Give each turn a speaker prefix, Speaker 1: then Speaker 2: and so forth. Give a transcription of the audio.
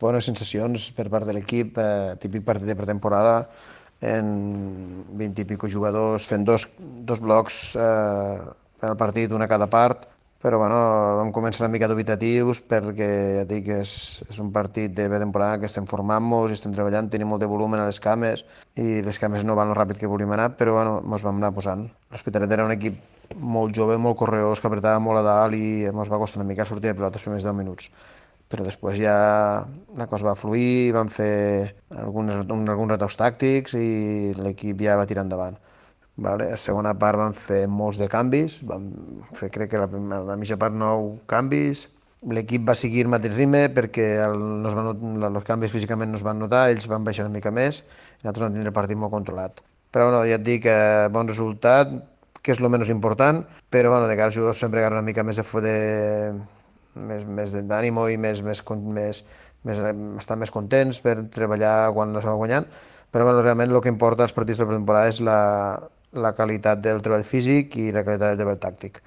Speaker 1: Bones sensacions per part de l'equip, típic partit de pretemporada, en 20 i pico jugadors fent dos blocs per al partit, una a cada part, però bueno, vam començar una mica dubitatius perquè ja et dic, és un partit de pretemporada que estem formant-nos i estem treballant, tenim molt de volum a les cames i les cames no van lo ràpid que volíem anar, però bueno, ens vam anar posant. L'Hospitalet era un equip molt jove, molt correós, que apretava molt a dalt i ens va costar una mica sortir de pilota els primers 10 minuts, però després ja la cosa va fluir, vam fer alguns retocs tàctics i l'equip ja va tirar endavant. Vale? A la segona part vam fer molts de canvis, vam fer crec que la mitja part 9 canvis, l'equip va seguir el mateix ritme perquè no es van, els canvis físicament no es van notar, ells van baixar una mica més i nosaltres vam tindre el partit molt controlat. Però bueno, ja et dic, bon resultat, que és el menys important, però bueno, de cara als jugadors sempre agarra una mica més d'ànimo i estar més contents per treballar quan es va guanyant, però bueno, realment el que importa als partits de pretemporada és la qualitat del treball físic i la qualitat del treball tàctic.